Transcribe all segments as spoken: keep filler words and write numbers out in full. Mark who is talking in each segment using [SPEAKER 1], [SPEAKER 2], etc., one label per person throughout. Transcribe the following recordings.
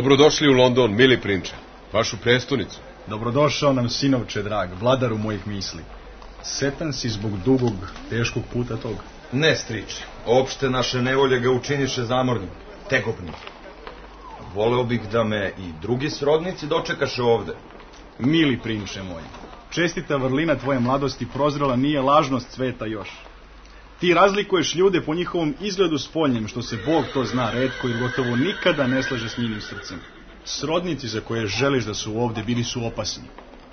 [SPEAKER 1] Dobrodošli u London, mili prinče, vašu prestonicu.
[SPEAKER 2] Dobrodošao nam, sinovče drag, vladaru mojih misli. Setan si zbog dugog, teškog puta tog?
[SPEAKER 3] Ne, striče, opšte naše nevolje ga učiniše zamornim, tegobnim. Voleo bih da me i drugi srodnici dočekaše ovde.
[SPEAKER 2] Mili prinče moj, čestita vrlina tvoje mladosti prozrela nije lažnost sveta još. Ti razlikuješ ljude po njihovom izgledu spoljnjem, što se Bog to zna retko i gotovo nikada ne slaže s njenim srcem. Srodnici za koje želiš da su ovde bili su opasni.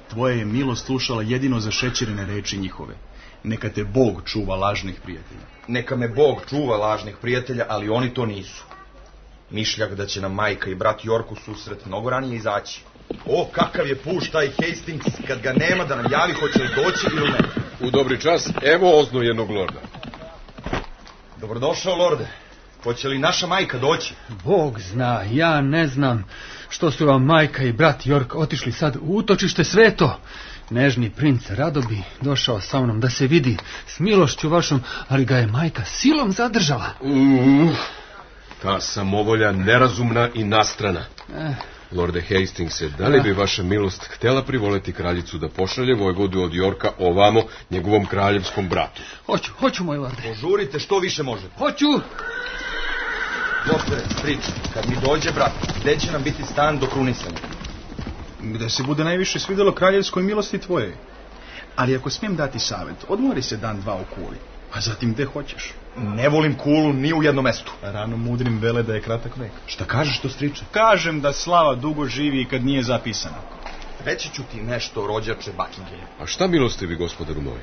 [SPEAKER 2] Tvoja je milost slušala jedino za šećerene reči njihove. Neka te Bog čuva lažnih prijatelja.
[SPEAKER 3] Neka me Bog čuva lažnih prijatelja, ali oni to nisu. Mišljak da će nam majka i brat York u susret mnogo ranije izaći. O, kakav je puš taj Hastings, kad ga nema da nam javi hoće li doći ili ne.
[SPEAKER 1] U dobri čas, evo ozno jednog lorda.
[SPEAKER 3] Dobrodošao, lorde. Hoće li naša majka doći?
[SPEAKER 4] Bog zna, ja ne znam što su vam majka i brat York otišli sad u utočište sveto. Nežni princ rado bi došao sa mnom da se vidi s milošću vašom, ali ga je majka silom zadržala.
[SPEAKER 1] Uh, ta samovolja nerazumna i nastrana.
[SPEAKER 4] Eh.
[SPEAKER 1] Lorde Hastingse, da li bi vaša milost htjela privoleti kraljicu da pošalje vojvodu od Yorka ovamo njegovom kraljevskom bratu?
[SPEAKER 4] Hoću, hoću, moj lorde.
[SPEAKER 3] Požurite što više možete.
[SPEAKER 4] Hoću!
[SPEAKER 3] Doktore, striče, kad mi dođe brat, gde će nam biti stan do krunisanja?
[SPEAKER 2] Gde se bude najviše svidjelo kraljevskoj milosti tvoje. Ali ako smijem dati savjet, odmori se dan dva u Kuli, a zatim gde hoćeš.
[SPEAKER 3] Ne volim Kulu ni u jednom mestu.
[SPEAKER 2] Rano mudrim vele da je kratak vek.
[SPEAKER 3] Šta kažeš to, striče?
[SPEAKER 2] Kažem da slava dugo živi i kad nije zapisana.
[SPEAKER 3] Reći ću ti nešto, rođače Buckingham.
[SPEAKER 1] A šta milostivi, gospodaru moj?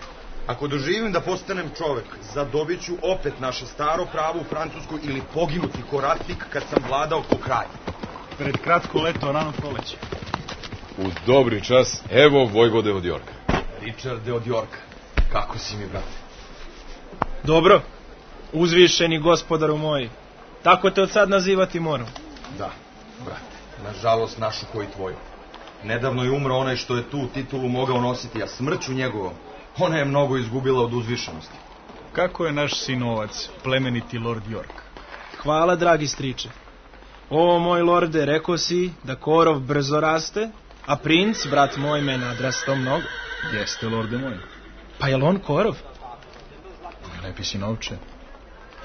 [SPEAKER 3] Ako doživim da postanem čovek, zadobit ću opet naše staro pravo u Francuskoj ili poginuti ko ratnik kad sam vladao ko kralj.
[SPEAKER 2] Pred kratko leto, rano proleće.
[SPEAKER 1] U dobri čas, evo vojvode od Yorka.
[SPEAKER 3] Richarde od Yorka, kako si mi, brate?
[SPEAKER 5] Dobro, uzvišeni gospodaru moji, tako te od sad nazivati moram.
[SPEAKER 3] Da, brate, nažalost našu koji tvoju. Nedavno je umro onaj što je tu titulu mogao nositi, a smrću njegovom ona je mnogo izgubila od uzvišenosti.
[SPEAKER 2] Kako je naš sinovac, plemeniti lord York?
[SPEAKER 5] Hvala, dragi striče. O, moj lorde, rekao si da korov brzo raste, a princ, brat moj, me nadrastao mnogo.
[SPEAKER 2] Jeste, lorde moj.
[SPEAKER 5] Pa je li on korov?
[SPEAKER 2] Lepi sinovče,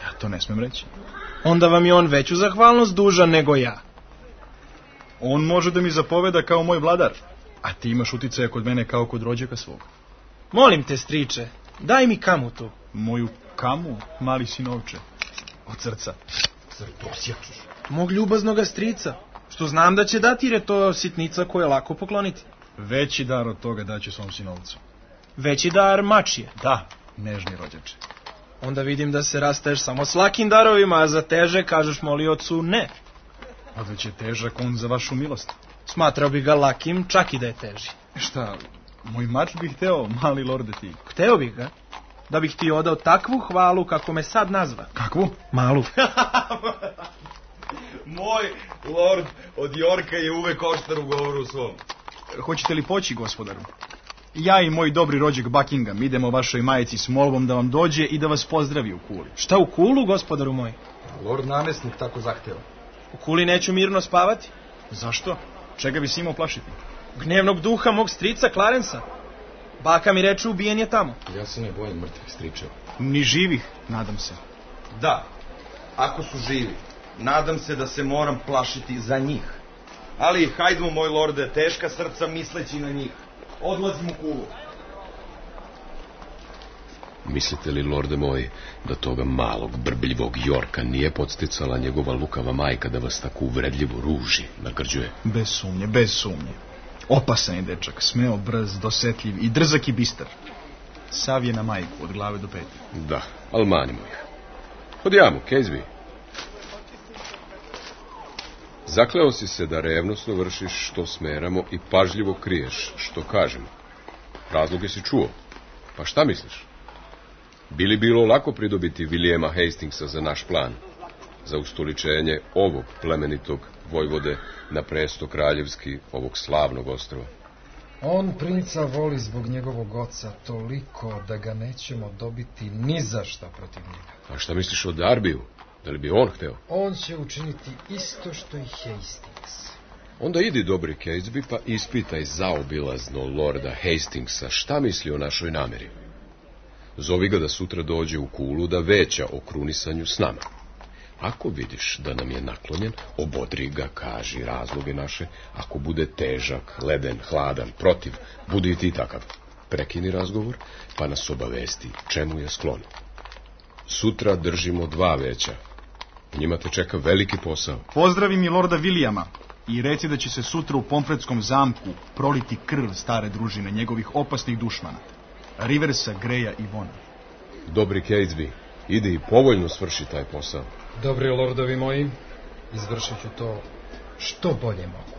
[SPEAKER 2] ja to ne smem reći.
[SPEAKER 5] Onda vam je on veću zahvalnost dužan nego ja.
[SPEAKER 2] On može da mi zapoveda kao moj vladar, a ti imaš uticaja kod mene kao kod rođaka svog.
[SPEAKER 5] Molim te, striče, daj mi kamu tu.
[SPEAKER 2] Moju kamu, mali sinovče, od srca.
[SPEAKER 3] Crtosjačuš.
[SPEAKER 5] Mog ljubaznoga strica, što znam da će dati jer je to sitnica koju je lako pokloniti.
[SPEAKER 2] Veći dar od toga daće svom sinovcu.
[SPEAKER 5] Veći dar mačije.
[SPEAKER 2] Da, nežni rođače.
[SPEAKER 5] Onda vidim da se rastaješ samo s lakim darovima, a za teže kažeš moliocu ne.
[SPEAKER 2] A već je težak on za vašu milost.
[SPEAKER 5] Smatrao bi ga lakim, čak i da je teži.
[SPEAKER 2] Šta, moj mač bih hteo, mali lorde ti?
[SPEAKER 5] Hteo bih ga, da bih ti odao takvu hvalu kako me sad nazva.
[SPEAKER 2] Kakvu?
[SPEAKER 5] Malu.
[SPEAKER 3] Moj lord od Yorka je uvek oštar u govoru svom.
[SPEAKER 2] Hoćete li poći, gospodaru? Ja i moj dobri rođak Buckingham idemo vašoj majici s molbom da vam dođe i da vas pozdravi u Kuli.
[SPEAKER 5] Šta u Kulu, gospodaru moj?
[SPEAKER 3] Lord namestnik tako zahteva.
[SPEAKER 5] U Kuli neću mirno spavati.
[SPEAKER 2] Zašto? Čega bi se imao plašiti?
[SPEAKER 5] Gnevnog duha mog strica Clarensa. Baka mi reče ubijen je tamo.
[SPEAKER 3] Ja se ne bojim mrtvih stričeva.
[SPEAKER 2] Ni živih, nadam se.
[SPEAKER 3] Da, ako su živi, nadam se da se moram plašiti za njih. Ali hajdemo, moj lorde, teška srca misleći na njih. Odlazim u Kulu.
[SPEAKER 1] Mislite li, lorde moj, da toga malog, brbljivog Yorka nije podsticala njegova lukava majka da vas tako uvredljivo ruži, nagrđuje?
[SPEAKER 2] Bez sumnje, bez sumnje. Opasan je dečak, smeo, brz, dosetljiv i drzak i bistar. Sav je na majku, od glave do pete.
[SPEAKER 1] Da, ali manimo ih. Odjamo, Caseby. Zakleo si se da revnosno vršiš što smeramo i pažljivo kriješ što kažemo. Razloge si čuo. Pa šta misliš? Bi li bilo lako pridobiti Vilijema Hastingsa za naš plan? Za ustoličenje ovog plemenitog vojvode na presto kraljevski ovog slavnog ostrva?
[SPEAKER 6] On princa voli zbog njegovog oca toliko da ga nećemo dobiti ni za šta protiv njega.
[SPEAKER 1] A šta misliš o Darbiju? Da li bi on hteo?
[SPEAKER 6] On će učiniti isto što i Hastings.
[SPEAKER 1] Onda idi, dobri Catesby, pa ispitaj zaobilazno lorda Hastingsa šta misli o našoj nameri. Zovi ga da sutra dođe u Kulu da veća o krunisanju s nama. Ako vidiš da nam je naklonjen, obodri ga, kaži razloge naše. Ako bude težak, leden, hladan, protiv, budi i ti takav. Prekini razgovor, pa nas obavesti čemu je sklon. Sutra držimo dva veća. Njima te čeka veliki posao.
[SPEAKER 2] Pozdravi mi lorda Vilijama i reci da će se sutra u Pomfretskom zamku proliti krv stare družine njegovih opasnih dušmana, Riversa, Greja i Vona.
[SPEAKER 1] Dobri Catesby, idi i povoljno svrši taj posao.
[SPEAKER 6] Dobri lordovi moji, izvršit ću to što bolje mogu.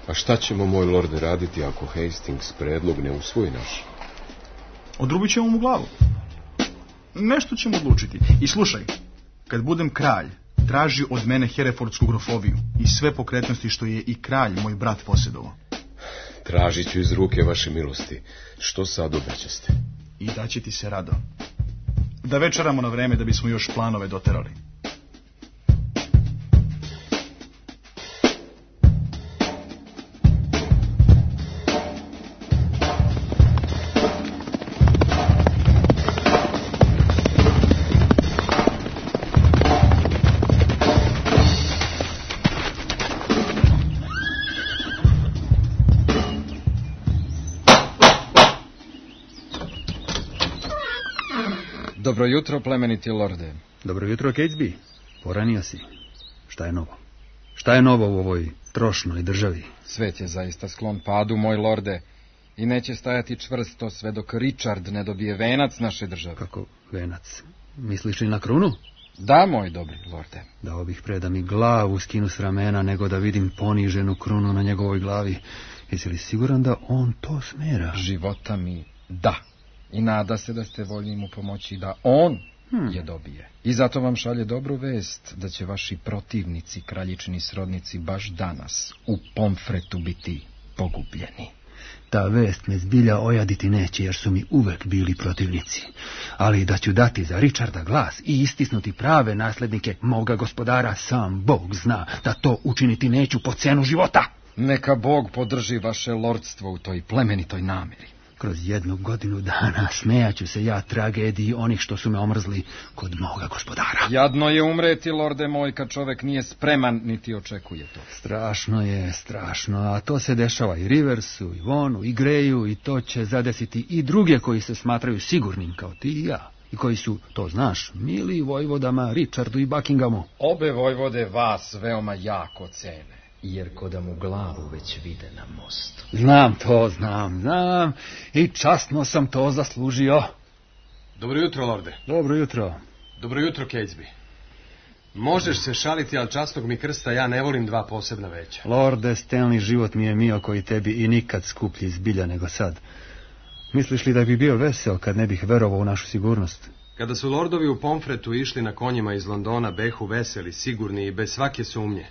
[SPEAKER 1] A šta ćemo, moj lorde, raditi ako Hastings predlog ne usvoji naš?
[SPEAKER 2] Odrubit ćemo mu glavu. Nešto ćemo odlučiti. I slušaj, kad budem kralj, traži od mene Herefordsku grofoviju i sve pokretnosti što je i kralj, moj brat, posjedovao.
[SPEAKER 1] Tražit ću iz ruke vaše milosti. Što sad obećaste?
[SPEAKER 2] I daće ti se rado. Da večeramo na vreme da bismo još planove doterali.
[SPEAKER 7] Dobro jutro, plemeniti lorde.
[SPEAKER 4] Dobro jutro, Catesby. Poranio si. Šta je novo? Šta je novo u ovoj trošnoj državi?
[SPEAKER 7] Svet je zaista sklon padu, moj lorde, i neće stajati čvrsto sve dok Richard ne dobije venac naše države.
[SPEAKER 4] Kako venac? Misliš li na krunu?
[SPEAKER 7] Da, moj dobri lorde.
[SPEAKER 4] Dao bih pre da mi glavu skinu s ramena, nego da vidim poniženu krunu na njegovoj glavi. Jesi li siguran da on to smera?
[SPEAKER 7] Života mi da. I nada se da ste voljni mu pomoći da on hmm. je dobije. I zato vam šalje dobru vest da će vaši protivnici, kraljičini srodnici, baš danas u Pomfretu biti pogubljeni.
[SPEAKER 4] Ta vest me zbilja ojaditi neće, jer su mi uvek bili protivnici. Ali da ću dati za Richarda glas i istisnuti prave naslednike moga gospodara, sam Bog zna da to učiniti neću po cenu života.
[SPEAKER 7] Neka Bog podrži vaše lordstvo u toj plemenitoj nameri.
[SPEAKER 4] Kroz jednu godinu dana smejaću se ja tragediji onih što su me omrzli kod moga gospodara.
[SPEAKER 7] Jadno je umreti, lorde moj, kad čovek nije spreman niti očekuje to.
[SPEAKER 4] Strašno je, strašno, a to se dešava i Riversu, i Vonu, i Greju, i to će zadesiti i druge koji se smatraju sigurnim kao ti i ja. I koji su, to znaš, mili vojvodama Richardu i Buckinghamu.
[SPEAKER 7] Obe vojvode vas veoma jako cene, jer ko da mu glavu već vide na mostu.
[SPEAKER 4] Znam to, znam, znam, i časno sam to zaslužio.
[SPEAKER 8] Dobro jutro, lorde.
[SPEAKER 4] Dobro jutro.
[SPEAKER 8] Dobro jutro, Catesby. Možeš se šaliti, ali časnog mi krsta ja ne volim dva posebna veća.
[SPEAKER 4] Lorde, stelni život mi je mio koji tebi i nikad skuplji zbilja nego sad. Misliš li da bi bio vesel kad ne bih verovao u našu sigurnost?
[SPEAKER 8] Kada su lordovi u Pomfretu išli na konjima iz Londona, behu veseli, sigurni i bez svake sumnje,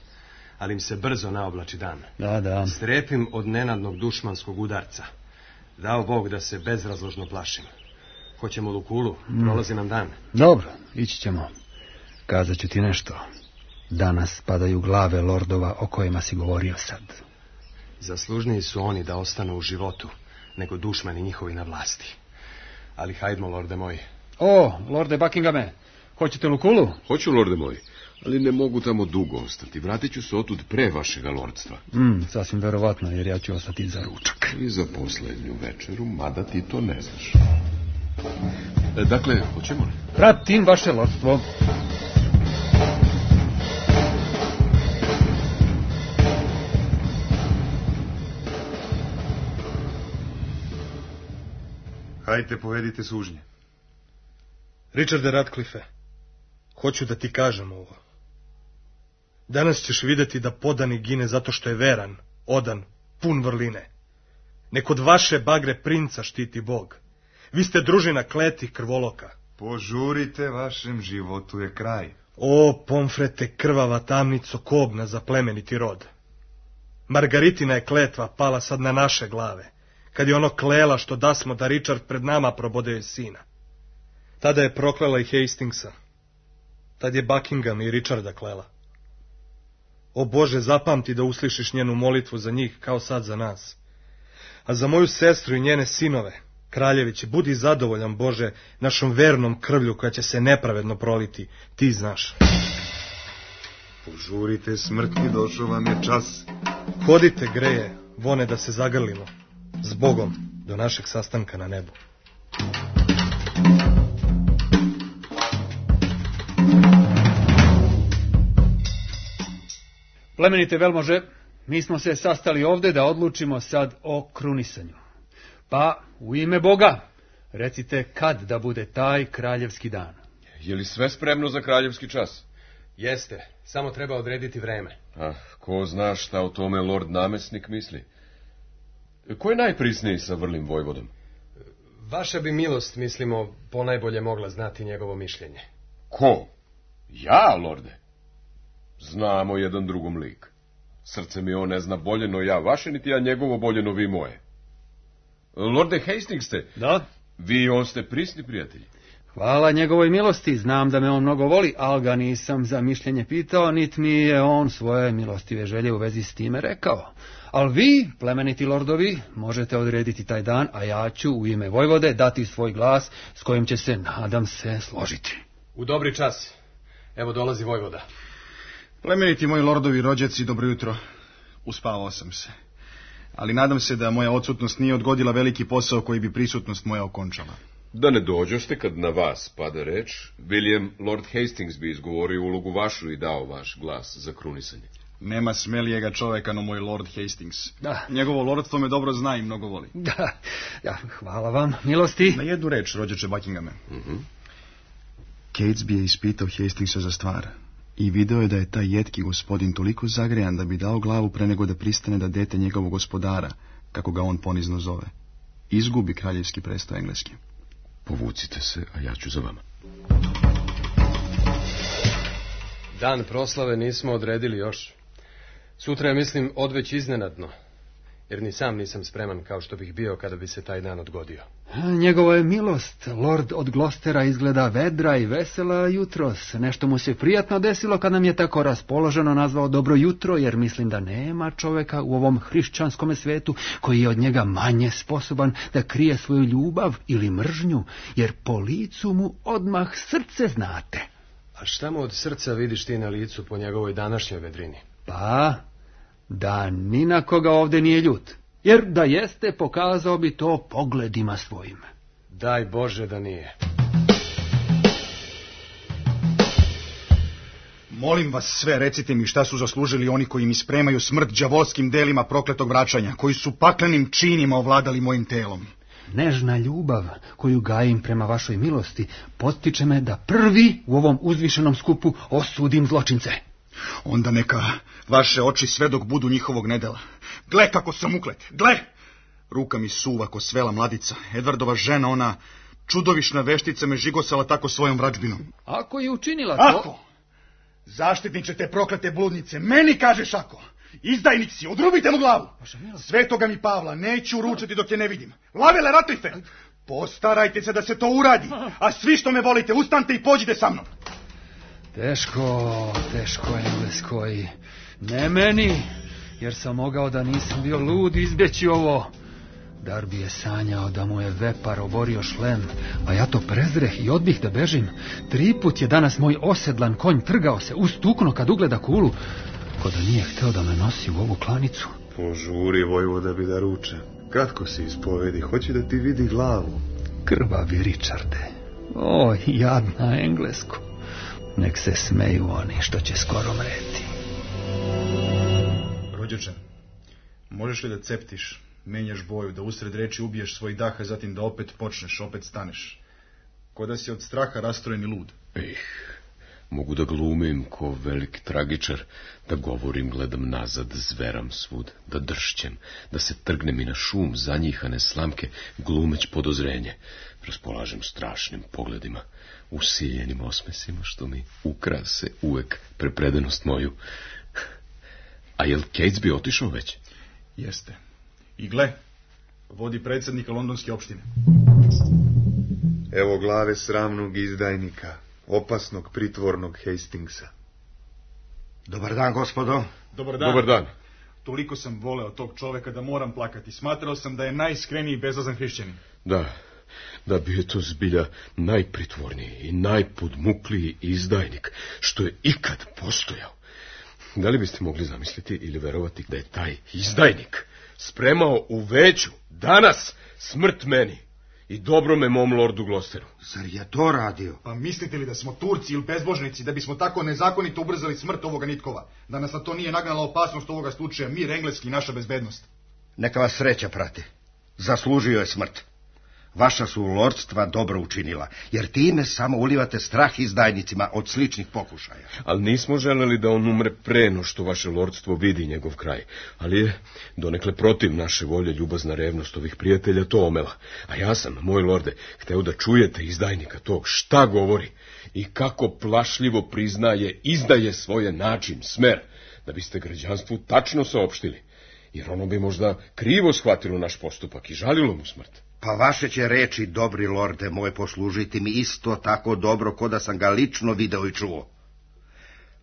[SPEAKER 8] ali im se brzo naoblači dan.
[SPEAKER 4] Da, da.
[SPEAKER 8] Strepim od nenadnog dušmanskog udarca. Dao Bog da se bezrazložno plašim. Hoćemo Lukulu, prolazi nam dan.
[SPEAKER 4] Dobro, ići ćemo. Kazat ću ti nešto. Danas padaju glave lordova o kojima si govorio sad.
[SPEAKER 8] Zaslužniji su oni da ostanu u životu, nego dušmani njihovi na vlasti. Ali hajdmo, lorde moji.
[SPEAKER 4] O, lorde Buckinghame, hoćete Lukulu?
[SPEAKER 1] Hoću, lorde moji, ali ne mogu tamo dugo ostati. Vratit ću se otud pre vašega lordstva.
[SPEAKER 4] Mm, sasvim verovatno, jer ja ću ostati za ručak.
[SPEAKER 1] I za posljednju večeru, mada ti to ne znaš. E, dakle, hoćemo li?
[SPEAKER 4] Pratim vaše lordstvo.
[SPEAKER 2] Hajte, povedite sužnje.
[SPEAKER 5] Richarde Ratcliffe, hoću da ti kažem ovo. Danas ćeš vidjeti da podani gine zato što je veran, odan, pun vrline. Nek od vaše bagre princa štiti Bog. Vi ste družina kletih krvoloka.
[SPEAKER 3] Požurite, vašem životu je kraj.
[SPEAKER 5] O, Pomfrete, krvava tamnico, kobna za plemeniti rod. Margaritina je kletva pala sad na naše glave, kad je ono klela što dasmo da Richard pred nama probode sina. Tada je proklela i Hastingsa. Tad je Buckingham i Richarda klela. O Bože, zapamti da uslišiš njenu molitvu za njih kao sad za nas. A za moju sestru i njene sinove, kraljeviće, budi zadovoljan, Bože, našom vernom krvlju koja će se nepravedno proliti. Ti znaš.
[SPEAKER 9] Požurite smrti, došao vam je čas.
[SPEAKER 5] Hodite, Greje, vone da se zagrlimo. S Bogom, do našeg sastanka na nebu.
[SPEAKER 4] Plemenite velmože, mi smo se sastali ovde da odlučimo sad o krunisanju. Pa, u ime Boga, recite kad da bude taj kraljevski dan.
[SPEAKER 1] Je li sve spremno za kraljevski čas?
[SPEAKER 8] Jeste, samo treba odrediti vreme.
[SPEAKER 1] Ah, ko zna šta o tome lord namesnik misli? Ko je najprisniji sa vrlim vojvodom?
[SPEAKER 8] Vaša bi milost, mislimo, ponajbolje mogla znati njegovo mišljenje.
[SPEAKER 1] Ko? Ja, lorde? Znamo jedan drugom lik. Srce mi on ne zna boljeno ja vaše, niti ja njegovo boljeno vi moje. Lorde Hastings ste?
[SPEAKER 4] Da?
[SPEAKER 1] Vi i on ste prisni prijatelji.
[SPEAKER 4] Hvala njegovoj milosti, znam da me on mnogo voli, ali ga nisam za mišljenje pitao, niti mi je on svoje milostive želje u vezi s time rekao. Ali vi, plemeniti lordovi, možete odrediti taj dan, a ja ću u ime vojvode dati svoj glas s kojim će se, nadam se, složiti.
[SPEAKER 8] U dobri čas. Evo dolazi vojvoda.
[SPEAKER 2] Plemeniti moji lordovi, rođaci, dobro jutro. Uspavao sam se. Ali nadam se da moja odsutnost nije odgodila veliki posao koji bi prisutnost moja okončala.
[SPEAKER 1] Da ne dođoste kad na vas pada reč, William Lord Hastings bi izgovorio ulogu vašu i dao vaš glas za krunisanje.
[SPEAKER 2] Nema smelijega čoveka no moj Lord Hastings.
[SPEAKER 4] Da.
[SPEAKER 2] Njegovo lordstvo me dobro zna i mnogo voli.
[SPEAKER 4] Da, ja, hvala vam, milosti.
[SPEAKER 2] Na jednu reč, rođače Buckinghame.
[SPEAKER 1] Uh-huh.
[SPEAKER 2] Catesby je ispitao Hastingsa za stvar i video je da je taj jetki gospodin toliko zagrejan da bi dao glavu pre nego da pristane da dete njegovog gospodara, kako ga on ponizno zove, izgubi kraljevski presto engleski.
[SPEAKER 1] Povucite se, a ja ću za vama.
[SPEAKER 8] Dan proslave nismo odredili još. Sutra je, mislim, odveć iznenadno, jer ni sam nisam spreman kao što bih bio kada bi se taj dan odgodio.
[SPEAKER 4] Njegovo je milost, lord od Glostera, izgleda vedra i vesela jutros. Nešto mu se prijatno desilo kad nam je tako raspoloženo nazvao dobro jutro, jer mislim da nema čoveka u ovom hrišćanskom svetu koji je od njega manje sposoban da krije svoju ljubav ili mržnju, jer po licu mu odmah srce znate.
[SPEAKER 8] A šta mu od srca vidiš ti na licu po njegovoj današnjoj vedrini?
[SPEAKER 4] Pa, da ni na koga ovde nije ljut, jer da jeste, pokazao bi to pogledima svojim.
[SPEAKER 8] Daj Bože da nije.
[SPEAKER 2] Molim vas sve, recite mi šta su zaslužili oni koji mi spremaju smrt đavolskim delima prokletog vraćanja, koji su paklenim činima ovladali mojim telom.
[SPEAKER 4] Nežna ljubav koju gajim prema vašoj milosti potiče me da prvi u ovom uzvišenom skupu osudim zločince.
[SPEAKER 2] Onda neka vaše oči sve dok budu njihovog nedela. Gle kako sam uklet, gle! Ruka mi suva ko svela mladica. Edvardova žena, ona čudovišna veštica, me žigosala tako svojom vrađbinom.
[SPEAKER 4] Ako je učinila to...
[SPEAKER 2] Ako? Zaštitniče te proklete bludnice, meni kažeš ako? Izdajnik si, odrubite mu glavu. Svetoga mi Pavla neću ručati dok je ne vidim. Lavele Ratlife, postarajte se da se to uradi, a svi što me volite, ustanite i pođite sa mnom.
[SPEAKER 4] Teško, teško, Engleskoj. Ne meni, jer sam mogao da nisam bio lud izbjeći ovo. Darby je sanjao da mu je vepar oborio šlem, a ja to prezreh i odbih da bežim. Tri put je danas moj osedlan konj trgao se ustukno kad ugleda kulu, ko da nije hteo da me nosi u ovu klanicu.
[SPEAKER 9] Požuri, vojvoda, bi da ruče. Kratko se ispovedi, hoće da ti vidi glavu.
[SPEAKER 4] Krvavi Richarde, o, jadna Englesko. Nek se smeju oni što će skoro mreti.
[SPEAKER 2] Rođače, možeš li da ceptiš, menjaš boju, da usred reči ubiješ svoj dah, a zatim da opet počneš, opet staneš? Ko da si od straha rastrojen i lud.
[SPEAKER 1] Ih, mogu da glumim ko velik tragičar, da govorim, gledam nazad, zveram svud, da dršćem, da se trgnem i na šum zanjihane slamke, glumeć podozrenje, raspolažem strašnim pogledima, usiljenim osmesima, što mi ukrase uvek prepredanost moju. A jel Catesby otišao već?
[SPEAKER 2] Jeste. I gle, vodi predsjednika londonske opštine.
[SPEAKER 9] Evo glave sramnog izdajnika. opasnog pritvornog Hastingsa.
[SPEAKER 10] Dobar dan, gospodo.
[SPEAKER 2] Dobar dan.
[SPEAKER 1] Dobar dan.
[SPEAKER 2] Toliko sam voleo tog čoveka da moram plakati. Smatrao sam da je najiskreniji i bezazan hrišćanin.
[SPEAKER 1] Da, da bi je to zbilja najpritvorniji i najpodmukliji izdajnik što je ikad postojao. Da li biste mogli zamisliti ili verovati da je taj izdajnik spremao u veću danas smrt meni i dobrome mom lordu Glosteru?
[SPEAKER 10] Zar je to radio?
[SPEAKER 2] Pa mislite li da smo Turci ili bezbožnici da bismo tako nezakonito ubrzali smrt ovoga Nitkova? Da nas na to nije nagnala opasnost ovoga slučaja, mir engleski i naša bezbednost?
[SPEAKER 10] Neka vas sreća prati. Zaslužio je smrt. Vaša su lordstva dobro učinila, jer time samo ulivate strah izdajnicima od sličnih pokušaja.
[SPEAKER 1] Ali nismo želeli da on umre pre no što vaše lordstvo vidi njegov kraj. Ali je donekle protiv naše volje ljubazna revnost ovih prijatelja to omela. A ja sam, moj lorde, hteo da čujete izdajnika tog šta govori i kako plašljivo priznaje, izdaje svoje način, smer, da biste građanstvu tačno saopštili. Jer ono bi možda krivo shvatilo naš postupak i žalilo mu smrt.
[SPEAKER 10] Pa vaše će reči, dobri lorde moj, poslužiti mi isto tako dobro ko da sam ga lično video i čuo.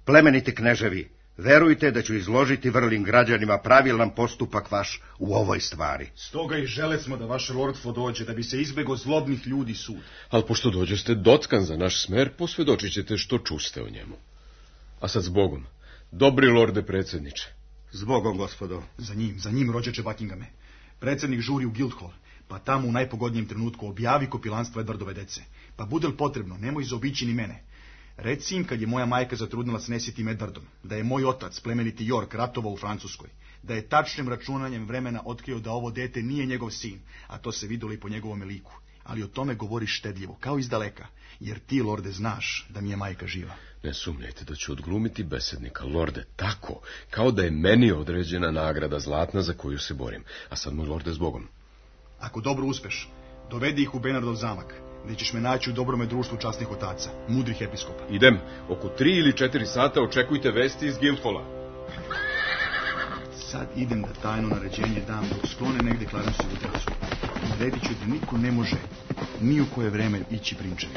[SPEAKER 10] Plemeniti kneževi, verujte da ću izložiti vrlim građanima pravilan postupak vaš u ovoj stvari.
[SPEAKER 2] Stoga i žele smo da vaše lordstvo dođe, da bi se izbego zlobnih ljudi sud.
[SPEAKER 1] Ali pošto dođeste dockan za naš smer, posvjedočit ćete što čuste o njemu. A sad zbogom, dobri lorde predsjedniče.
[SPEAKER 10] Zbogom, gospodo.
[SPEAKER 2] Za njim, za njim, rođeče Buckinghame. Predsjednik žuri u Guildhall, pa tamo u najpogodnijem trenutku objavi kopilanstvo Edwardove dece. Pa bude li potrebno, nemoj zaobići ni mene. Reci im, kad je moja majka zatrudnila s nesitim Edwardom, da je moj otac, plemeniti York, ratovao u Francuskoj, da je tačnim računanjem vremena otkrio da ovo dete nije njegov sin, a to se vidjelo i po njegovom liku. Ali o tome govori štedljivo, kao iz daleka, jer ti, lorde, znaš da mi je majka živa.
[SPEAKER 1] Ne sumnjajte da ću odglumiti besednika, lorde, tako, kao da je meni određena nagrada zlatna za koju se borim. A sad, moj lorde, zbogom.
[SPEAKER 2] Ako dobro uspeš, dovedi ih u Bernardov zamak, gdje ćeš me naći u dobrome društvu časnih otaca, mudrih episkopa.
[SPEAKER 1] Idem, oko tri ili četiri sata očekujte vesti iz Guildhala.
[SPEAKER 2] Sad idem da tajno naređenje dam dok sklone negdje Clarenceovu decu. Naredit ću da niko ne može ni u koje vreme ići prinčevi.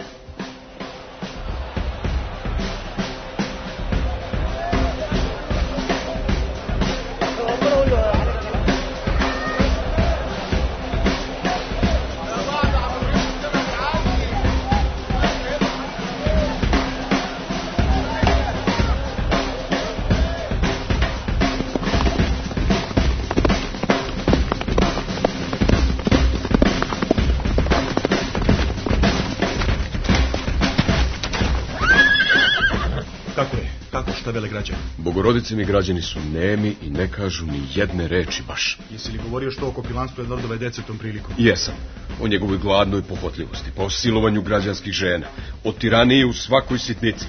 [SPEAKER 2] Vele građani.
[SPEAKER 1] Bogorodice mi građani su nemi i ne kažu ni jedne reči baš.
[SPEAKER 2] Jesi li govorio što o kopilanstvu Edwardove dece tom prilikom?
[SPEAKER 1] Jesam. O njegovoj gladnoj pohvatljivosti, pa o silovanju građanskih žena, o tiraniji u svakoj sitnici,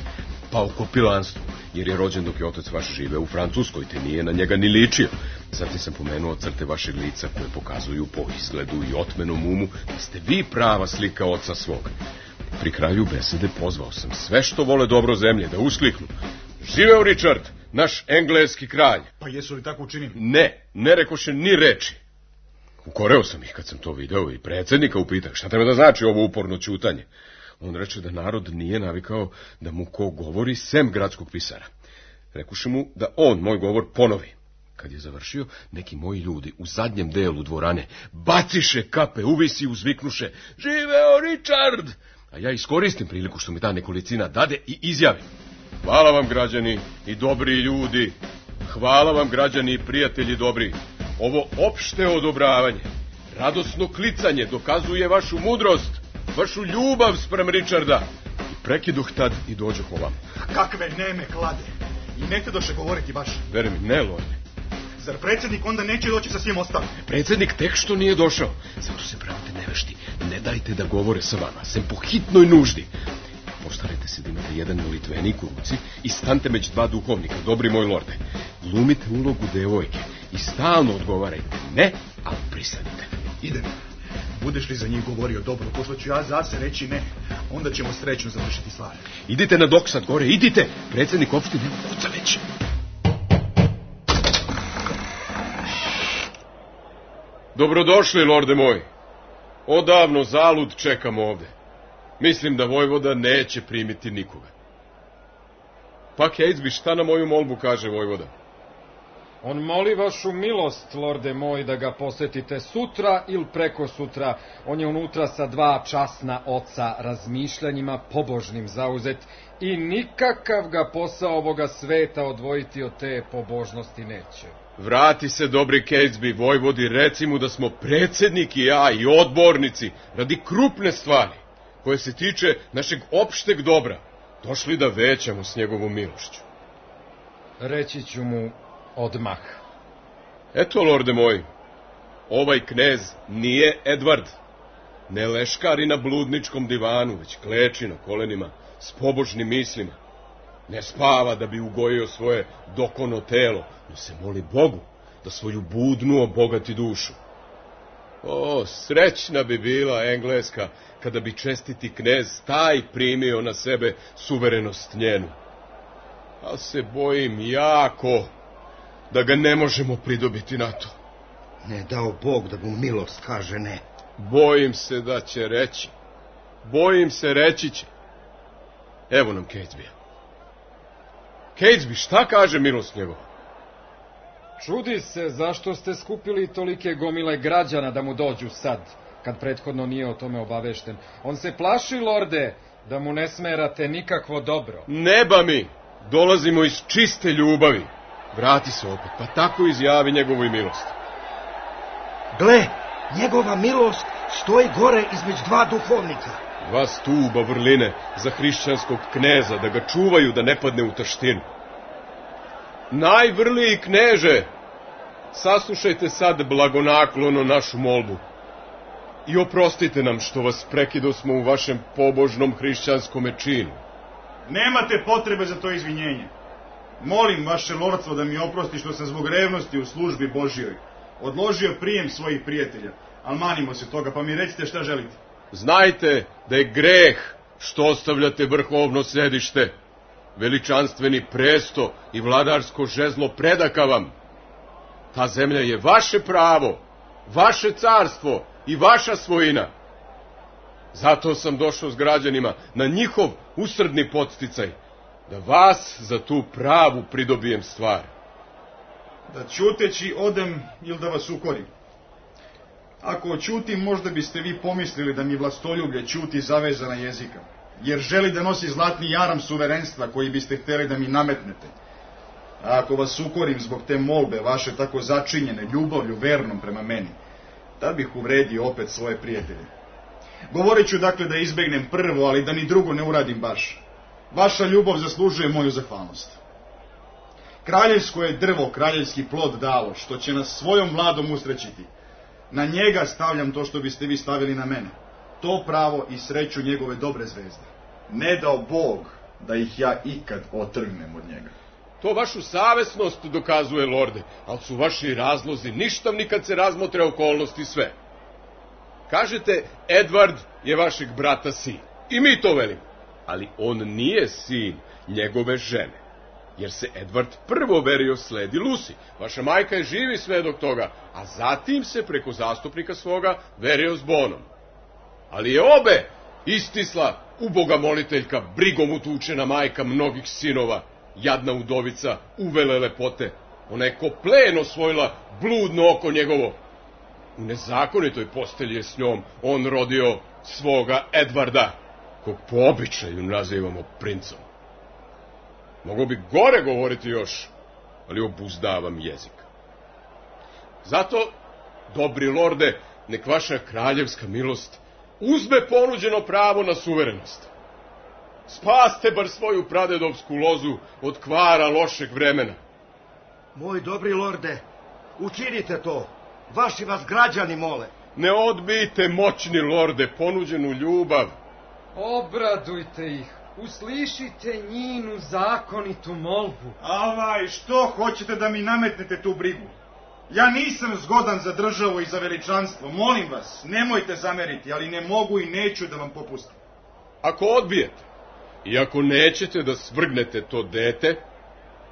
[SPEAKER 1] pa o kopilanstvu, jer je rođen dok je otac vaš žive u Francuskoj, te nije na njega ni ličio. Zatim sam pomenuo crte vašeg lica koje pokazuju po izgledu i otmenom umu da ste vi prava slika oca svog. Pri kraju besede pozvao sam sve što vole dobro zemlje da uskliknu: živeo Richard, naš engleski kralj.
[SPEAKER 2] Pa jesu li tako učinili?
[SPEAKER 1] Ne, ne rekoše ni reči. Ukoreo sam ih kad sam to video i predsjednika upitao šta treba da znači ovo uporno ćutanje. On reče da narod nije navikao da mu ko govori sem gradskog pisara. Rekuše mu da on moj govor ponovi. Kad je završio, neki moji ljudi u zadnjem delu dvorane baciše kape, uvisi uzviknuše: živeo Richard! A ja iskoristim priliku što mi ta nekolicina dade i izjavim: hvala vam, građani i dobri ljudi, hvala vam, građani i prijatelji dobri. Ovo opšte odobravanje, radosno klicanje dokazuje vašu mudrost, vašu ljubav sprem Richarda. I prekiduh tad i dođoh ovam.
[SPEAKER 2] Kakve neme klade, i ne te doše govoriti baš.
[SPEAKER 1] Veri mi, ne, lorde.
[SPEAKER 2] Zar predsjednik onda neće doći sa svim ostalim?
[SPEAKER 1] Predsjednik tek što nije došao, zato se pravite nevešti, ne dajte da govore sa vama, sem po hitnoj nuždi. Postarajte se da imate jedan molitvenik u ruci i stante među dva duhovnika, dobri moj lorde. Glumite ulogu devojke i stalno odgovarajte ne, ali pristanite.
[SPEAKER 2] Idem. Budeš li za njih govorio dobro, pošto ću ja za se reći ne, onda ćemo srećno završiti stvar.
[SPEAKER 1] Idite na doksad gore, idite! Predsjednik opštine kuca već. Dobrodošli, lorde moj. Odavno zalud čekam ovde. Mislim da vojvoda neće primiti nikoga. Pa Catesby, šta na moju molbu kaže vojvoda?
[SPEAKER 7] On moli vašu milost, lorde moj, da ga posetite sutra ili preko sutra. On je unutra sa dva časna oca, razmišljanjima pobožnim zauzet i nikakav ga posao ovoga sveta odvojiti od te pobožnosti neće.
[SPEAKER 1] Vrati se, dobri Catesby, vojvodi, reci mu da smo predsjednik i ja i odbornici radi krupne stvari, koje se tiče našeg opšteg dobra, došli da većamo s njegovom milošću.
[SPEAKER 7] Reći ću mu odmah.
[SPEAKER 1] Eto, lorde moj, ovaj knez nije Edvard. Ne leškari na bludničkom divanu, već kleči na kolenima s pobožnim mislima. Ne spava da bi ugojio svoje dokono telo, no se moli Bogu da svoju budnu obogati dušu. O, srećna bi bila Engleska kada bi čestiti knez taj primio na sebe suverenost njenu. A se bojim jako da ga ne možemo pridobiti na to.
[SPEAKER 10] Ne dao Bog da mu milost kaže ne.
[SPEAKER 1] Bojim se da će reći. Bojim se reći će. Evo nam Catesby. Catesby, šta kaže milost njegova?
[SPEAKER 7] Čudi se zašto ste skupili tolike gomile građana da mu dođu sad, kad prethodno nije o tome obavešten. On se plaši, lorde, da mu ne smerate nikakvo dobro.
[SPEAKER 1] Neba mi, dolazimo iz čiste ljubavi. Vrati se opet, pa tako izjavi njegovoj milosti.
[SPEAKER 10] Gle, njegova milost stoji gore između dva duhovnika.
[SPEAKER 1] Dva stuba vrline za hrišćanskog kneza, da ga čuvaju da ne padne u taštinu. Najvrliji kneže, saslušajte sad blagonaklono našu molbu i oprostite nam što vas prekidosmo u vašem pobožnom hrišćanskome činu.
[SPEAKER 2] Nemate potrebe za to izvinjenje. Molim vaše lordstvo da mi oprosti što sam zbog revnosti u službi Božjoj odložio prijem svojih prijatelja, ali manimo se toga, pa mi recite šta želite.
[SPEAKER 1] Znajte da je greh što ostavljate vrhovno sedište, veličanstveni presto i vladarsko žezlo predaka vam. Ta zemlja je vaše pravo, vaše carstvo i vaša svojina. Zato sam došao s građanima na njihov usrdni podsticaj, da vas za tu pravu pridobijem stvar.
[SPEAKER 2] Da ćuteći odem ili da vas ukorim? Ako oćutim, možda biste vi pomislili da mi vlastoljublje ćuti zavezana jezika, jer želi da nosi zlatni jaram suverenstva koji biste htjeli da mi nametnete. A ako vas ukorim zbog te molbe vaše tako začinjene ljubavlju vernom prema meni, tad bih uvredio opet svoje prijatelje. Govorit ću dakle da izbegnem prvo, ali da ni drugo ne uradim baš. Vaša ljubav zaslužuje moju zahvalnost. Kraljevsko je drvo, kraljevski plod dalo, što će nas svojom mladom usrećiti. Na njega stavljam to što biste vi stavili na mene. To pravo i sreću njegove dobre zvezde. Ne dao Bog da ih ja ikad otrgnem od njega.
[SPEAKER 1] To vašu savesnost dokazuje, lorde, ali su vaši razlozi ništavni kad se razmotre okolnosti sve. Kažete, Edvard je vašeg brata sin. I mi to velimo. Ali on nije sin njegove žene. Jer se Edvard prvo verio sledi Lucy. Vaša majka je živi svedok toga, a zatim se preko zastupnika svoga verio s Bonom. Ali je obe istisla uboga moliteljka, brigom utučena majka mnogih sinova, jadna udovica, uvele lepote. Ona je ko plen osvojila bludno oko njegovo. U nezakonitoj postelji je s njom on rodio svoga Edvarda, kog po običaju nazivamo princom. Mogu bi gore govoriti još, ali obuzdavam jezik. Zato, dobri lorde, nek vaša kraljevska milost uzme ponuđeno pravo na suverenost. Spaste bar svoju pradedovsku lozu od kvara lošeg vremena.
[SPEAKER 10] Moj dobri lorde, učinite to. Vaši vas građani mole.
[SPEAKER 1] Ne odbijte, moćni lorde, ponuđenu ljubav.
[SPEAKER 7] Obradujte ih. Uslišite njinu zakonitu molbu.
[SPEAKER 2] Avaj, što hoćete da mi nametnete tu brigu? Ja nisam zgodan za državu i za veličanstvo, molim vas, nemojte zameriti, ali ne mogu i neću da vam popustim.
[SPEAKER 1] Ako odbijete, i ako nećete da svrgnete to dete,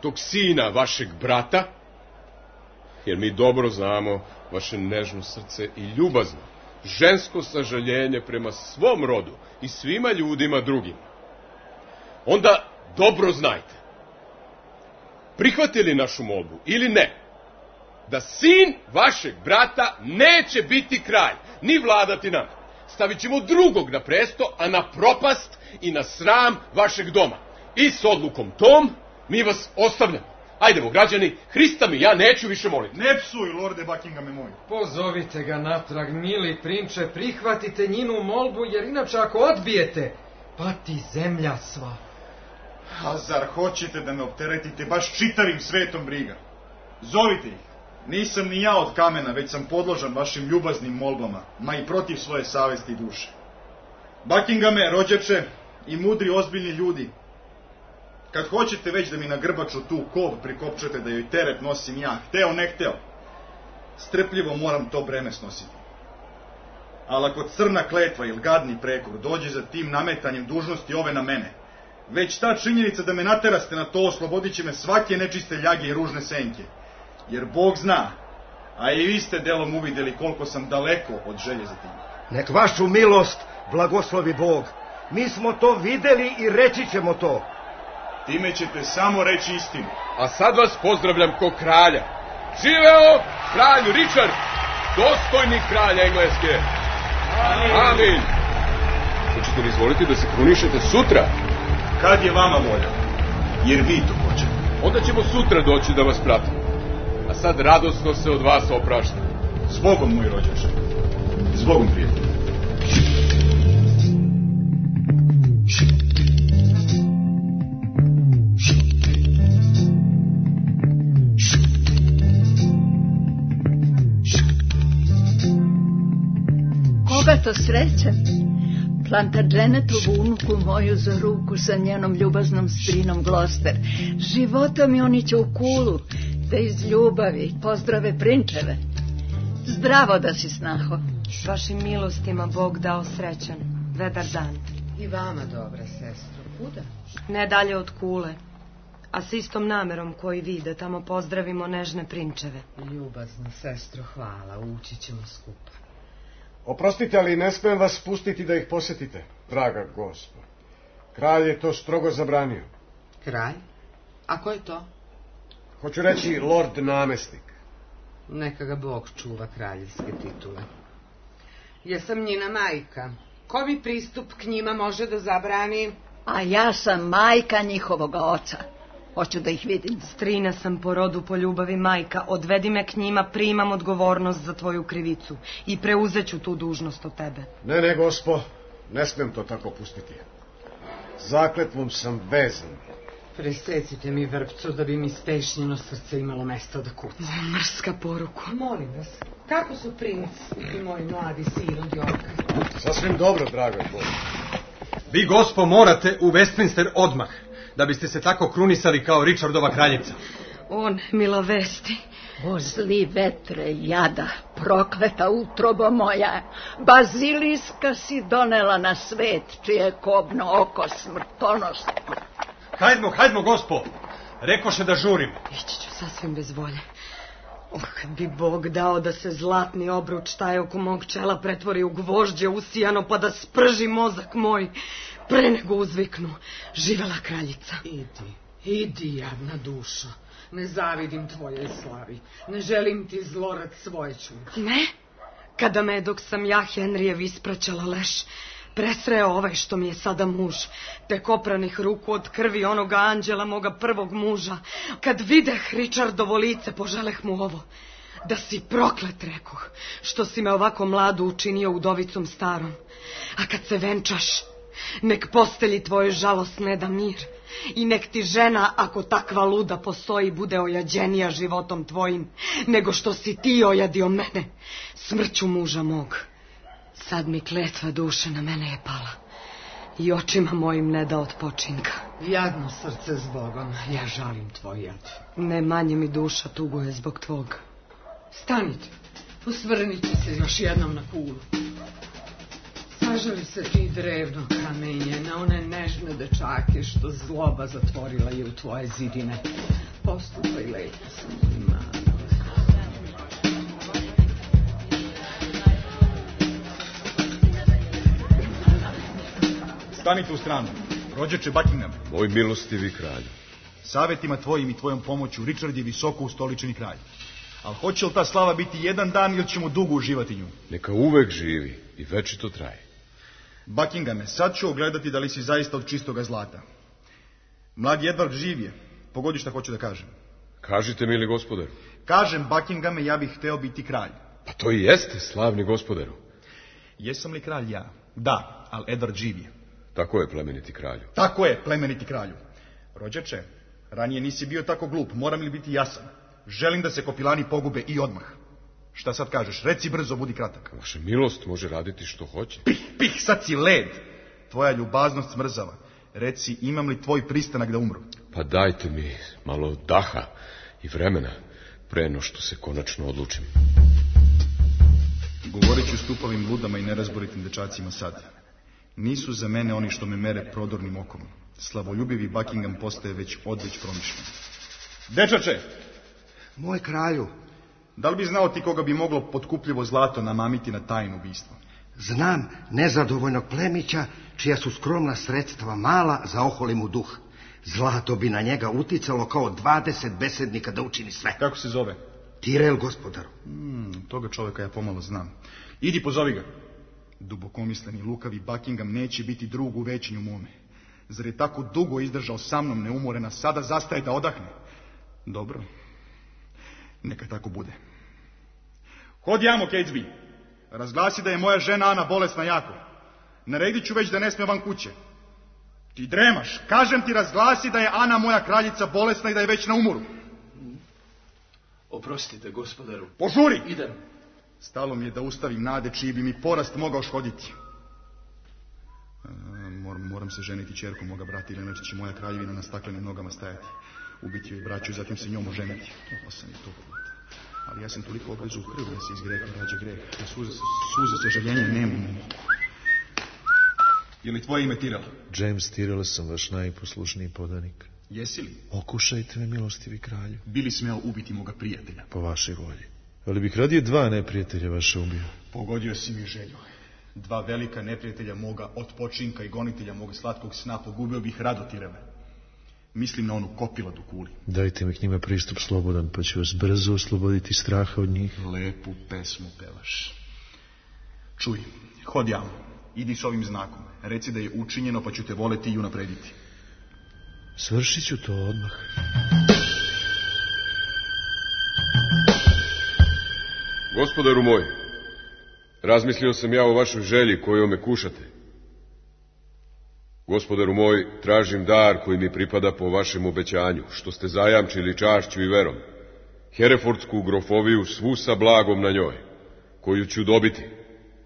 [SPEAKER 1] tog sina vašeg brata, jer mi dobro znamo vaše nežno srce i ljubazno, žensko sažaljenje prema svom rodu i svima ljudima drugim, onda dobro znajte, prihvatili našu molbu ili ne, da sin vašeg brata neće biti kralj, ni vladati nam. Stavit ćemo drugog na presto, a na propast i na sram vašeg doma. I s odlukom tom mi vas ostavljamo. Ajdemo, građani, Hrista mi, ja neću više moliti.
[SPEAKER 2] Ne psuj, lorde Buckinghame moj.
[SPEAKER 7] Pozovite ga natrag, mili prinče, prihvatite njinu molbu, jer inače ako odbijete, pati zemlja sva.
[SPEAKER 2] A zar hoćete da me opteretite baš čitavim svetom briga? Zovite ih. Nisam ni ja od kamena, već sam podložan vašim ljubaznim molbama, ma i protiv svoje savesti i duše. Buckinghame, rođače i mudri ozbiljni ljudi, kad hoćete već da mi na grbaču tu kov prikopčete da joj teret nosim ja, hteo ne hteo, strpljivo moram to breme snositi. Ali ako crna kletva ili gadni prekor dođe za tim nametanjem dužnosti ove na mene, već ta činjenica da me nateraste na to oslobodit će me svake nečiste ljage i ružne senke. Jer Bog zna, a i vi ste delom uvideli koliko sam daleko od želje za tim.
[SPEAKER 10] Nek vašu milost blagoslovi Bog. Mi smo to videli i reći ćemo to.
[SPEAKER 2] Time ćete samo reći istinu.
[SPEAKER 1] A sad vas pozdravljam ko kralja. Živeo kralj Richard, dostojni kralj Engleske. Amin. Amin. Hoćete li izvoliti da se krunišete sutra?
[SPEAKER 2] Kad je vama volja, jer vi to hoćete.
[SPEAKER 1] Onda ćemo sutra doći da vas pratimo. A sad radosno se od vas opraštam.
[SPEAKER 2] Zbogom, moj rođače. Zbogom, prijatelj.
[SPEAKER 11] Koga to srećem? Plantagenetovu unuku moju za ruku sa njenom ljubaznom strinom Gloster. Životom mi oni će u kulu, da iz ljubavi pozdrave prinčeve. Zdravo da si, snaho.
[SPEAKER 12] Vašim milostima Bog dao srećan, vedar dan.
[SPEAKER 13] I vama, dobra sestro. Kuda?
[SPEAKER 12] Ne dalje od kule, a s istom namerom koji vi, da tamo pozdravimo nežne prinčeve.
[SPEAKER 13] Ljubazna sestro, hvala, ući ćemo skupa.
[SPEAKER 14] Oprostite, ali ne smijem vas pustiti da ih posjetite, draga gospo. Kralj je to strogo zabranio.
[SPEAKER 13] Kralj? A ko je to?
[SPEAKER 14] Hoću reći lord namestnik.
[SPEAKER 13] Neka ga Bog čuva kraljevske titule. Jesam njena majka. Ko mi pristup k njima može da zabrani?
[SPEAKER 11] A ja sam majka njihovoga oca. Hoću da ih vidim.
[SPEAKER 12] Strina sam po rodu, po ljubavi majka. Odvedi me k njima, primam odgovornost za tvoju krivicu i preuzeću tu dužnost od tebe.
[SPEAKER 14] Ne, ne, gospo, ne smijem to tako pustiti. Zakletvom sam vezan.
[SPEAKER 13] Presecite mi vrpcu da bi mi spešnjeno srce imalo mesta da kuca.
[SPEAKER 12] Mrska poruku.
[SPEAKER 13] Molim vas, kako su princ i moj mladi sin od Yorka?
[SPEAKER 14] Sasvim dobro, draga Boga.
[SPEAKER 8] Vi, gospo, morate u Westminster odmah, da biste se tako krunisali kao Richardova kraljica.
[SPEAKER 12] On, milo vesti.
[SPEAKER 11] O zli vetre, jada, prokleta utrobo moja, baziliska si donela na svet, čije kobno oko smrtonosno.
[SPEAKER 8] Hajdmo, hajdmo, gospo, rekoše da žurim.
[SPEAKER 12] Ići ću sasvim bez volje. Oh, kad bi Bog dao da se zlatni obruč taj oko mog čela pretvori u gvožđe usijano, pa da sprži mozak moj, pre nego uzviknu, živela kraljica.
[SPEAKER 13] Idi, idi, jadna duša. Ne zavidim tvojoj slavi. Ne želim ti zlorad svoje čuti.
[SPEAKER 12] Ne? Kada me, dok sam ja Henrijev ispraćala leš, presreo ovaj što mi je sada muž, tek opranih ruku od krvi onoga anđela moga prvog muža, kad videh Richardovo lice, poželeh mu ovo. Da si proklet, rekoh, što si me ovako mladu učinio udovicom starom. A kad se venčaš, nek postelji tvoje žalost ne da mir. I nek ti žena, ako takva luda postoji, bude ojađenija životom tvojim, nego što si ti ojadio mene, smrću muža mog. Sad mi kletva duše na mene je pala i očima mojim ne da odpočinka.
[SPEAKER 13] Jadno srce s Bogom, ja žalim tvoj jad.
[SPEAKER 12] Ne manje mi duša tuguje zbog tvog.
[SPEAKER 13] Stanite, posvrnite se još jednom na kulu. Sažali se ti drevno kamenje na one nežne dečake što zloba zatvorila je u tvoje zidine. Postupaj lepo sa mojim manom.
[SPEAKER 2] Stanite u stranu. Rođeče Buckingham.
[SPEAKER 1] Moj milostivi kralju.
[SPEAKER 2] Savjetima tvojim i tvojom pomoću Richard je visoko ustoličeni kralj. Ali hoće li ta slava biti jedan dan ili ćemo dugo uživati nju?
[SPEAKER 1] Neka uvek živi i večito traje.
[SPEAKER 2] Buckinghame, sad ću ogledati da li si zaista od čistoga zlata. Mladi Edward živ je. Pogodi šta hoću da kažem.
[SPEAKER 1] Kažite, mili gospodaru.
[SPEAKER 2] Kažem, Buckinghame, ja bih hteo biti kralj.
[SPEAKER 1] Pa to i jeste, slavni gospodaru.
[SPEAKER 2] Jesam li kralj ja? Da, ali Edward živ je.
[SPEAKER 1] Tako je, plemeniti kralju.
[SPEAKER 2] Tako je, plemeniti kralju. Rođeče, ranije nisi bio tako glup, moram li biti jasan? Želim da se kopilani pogube i odmah. Šta sad kažeš? Reci brzo, budi kratak.
[SPEAKER 1] Vaša milost može raditi što hoće.
[SPEAKER 2] Pih, pih, sad si led. Tvoja ljubaznost smrzava. Reci, imam li tvoj pristanak da umru?
[SPEAKER 1] Pa dajte mi malo daha i vremena pre no što se konačno odlučim.
[SPEAKER 2] Govorit ću stupovim ludama i nerazboritim dečacima sad. Nisu za mene oni što me mere prodornim okom. Slavoljubivi Buckingham postaje već odveć promišljen. Dečače!
[SPEAKER 10] Moj kralju.
[SPEAKER 2] Da li bi znao ti koga bi moglo potkupljivo zlato namamiti na tajno ubistvo?
[SPEAKER 10] Znam nezadovoljnog plemića, čija su skromna sredstva mala za oholi mu duh. Zlato bi na njega uticalo kao dvadeset besednika da učini sve.
[SPEAKER 2] Kako se zove?
[SPEAKER 10] Tirel, gospodaru.
[SPEAKER 2] Hmm, toga čovjeka ja pomalo znam. Idi, pozovi ga. Dubokomisleni lukavi Buckingham neće biti drug u većinju mome. Zar je tako dugo izdržao sa mnom neumorena, sada zastaje da odahne? Dobro. Neka tako bude. Hodi jamo, Catesby. Razglasi da je moja žena Ana bolesna jako. Naredit ću već da ne sme van kuće. Ti dremaš. Kažem ti, razglasi da je Ana moja kraljica bolesna i da je već na umoru.
[SPEAKER 15] Oprostite, gospodaru.
[SPEAKER 2] Požuri!
[SPEAKER 15] Idem.
[SPEAKER 2] Stalo mi je da ustavim nade čiji bi mi porast mogao škoditi. E, moram, moram se ženiti ćerkom moga brata, ili inače će moja kraljevina na staklenim nogama stajati. Ubiti joj braću i zatim se njom oženiti. Ovo sam je to puta. Ali ja sam toliko odvezu u krv da se iz greha rađe greh. Ja suze, suze sažaljenja nemam. Je li tvoje ime Tyrell?
[SPEAKER 15] James Tyrell sam, vaš najposlušniji podanik.
[SPEAKER 2] Jesi li?
[SPEAKER 15] Okušajte me, milostivi kralju.
[SPEAKER 2] Bili smeo ubiti moga prijatelja?
[SPEAKER 15] Po vašoj volji. Ali bih radije dva neprijatelja vaše ubio.
[SPEAKER 2] Pogodio si mi želju. Dva velika neprijatelja moga od počinka i gonitelja moga slatkog sna pogubio bih rado, Tyrelle. Mislim na onu kopiladu kuli.
[SPEAKER 15] Dajte mi k njima pristup slobodan, pa ću vas brzo osloboditi straha od njih.
[SPEAKER 2] Lepu pesmu pevaš. Čuj, hod javno. Idi s ovim znakom. Reci da je učinjeno, pa ću te voleti i unaprediti.
[SPEAKER 15] Svršit ću to odmah.
[SPEAKER 1] Gospodaru moj, razmislio sam ja o vašoj želji koju me kušate. Gospodaru moj, tražim dar koji mi pripada po vašem obećanju, što ste zajamčili čašću i verom. Herefordsku grofoviju svu sa blagom na njoj, koju ću dobiti,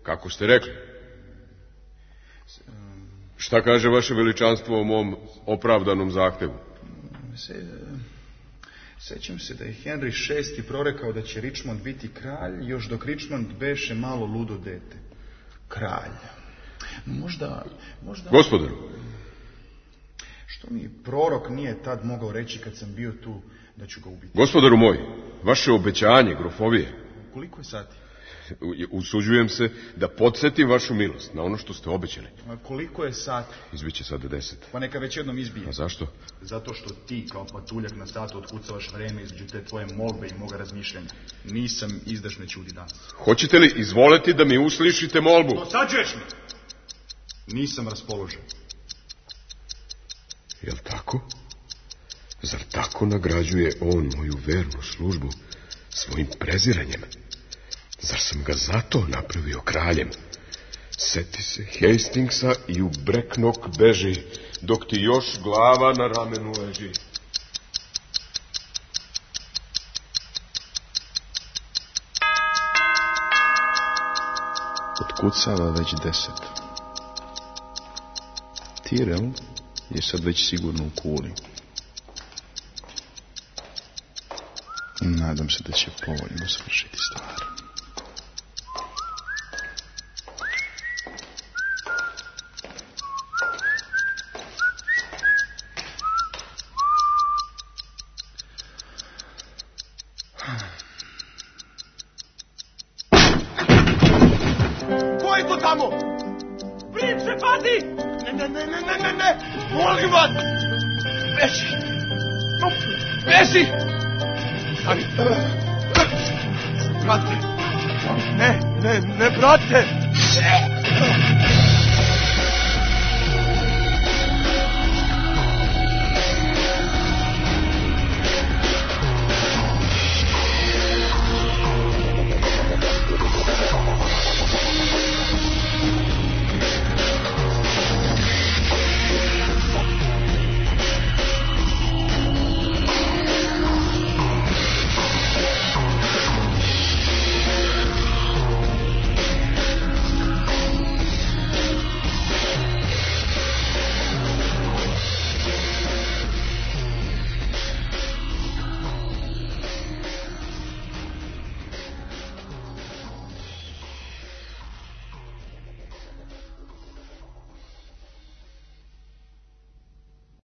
[SPEAKER 1] kako ste rekli. Šta kaže vaše veličanstvo o mom opravdanom zahtevu?
[SPEAKER 2] Se, sećam se da je Henry šesti prorekao da će Richmond biti kralj, još dok Richmond beše malo ludo dete. Kralj. Možda, možda...
[SPEAKER 1] Gospodaru.
[SPEAKER 2] Što mi prorok nije tad mogao reći kad sam bio tu da ću ga ubiti?
[SPEAKER 1] Gospodaru moj, vaše obećanje, grofovije.
[SPEAKER 2] Koliko je sati?
[SPEAKER 1] Usuđujem se da podsjetim vašu milost na ono što ste obećali.
[SPEAKER 2] A koliko je sati?
[SPEAKER 1] Izbiće sada deset.
[SPEAKER 2] Pa neka već jednom izbije.
[SPEAKER 1] A zašto?
[SPEAKER 2] Zato što ti kao patuljak na satu otkucavaš vreme između te tvoje molbe i moga razmišljanja. Nisam izdašne čudi danas.
[SPEAKER 1] Hoćete li izvoleti da mi uslišite molbu?
[SPEAKER 2] Dosađuješ mi! Nisam raspoložen.
[SPEAKER 1] Jel tako? Zar tako nagrađuje on moju vernu službu svojim preziranjem? Zar sam ga zato napravio kraljem? Seti se Hastingsa i u Brecknock beži, dok ti još glava na ramenu leži.
[SPEAKER 16] Otkucava već deset. Tyrell je sad već sigurno u kuli. Nadam se da će povoljno svršiti stvar.
[SPEAKER 2] Ko je to tamo? Prinče, pazi!
[SPEAKER 17] Ne, ne, ne, ne, ne, ne, ne, molim vas! Beži! No, beži! Ali... Brate! Ne, ne, ne, brate! Ne!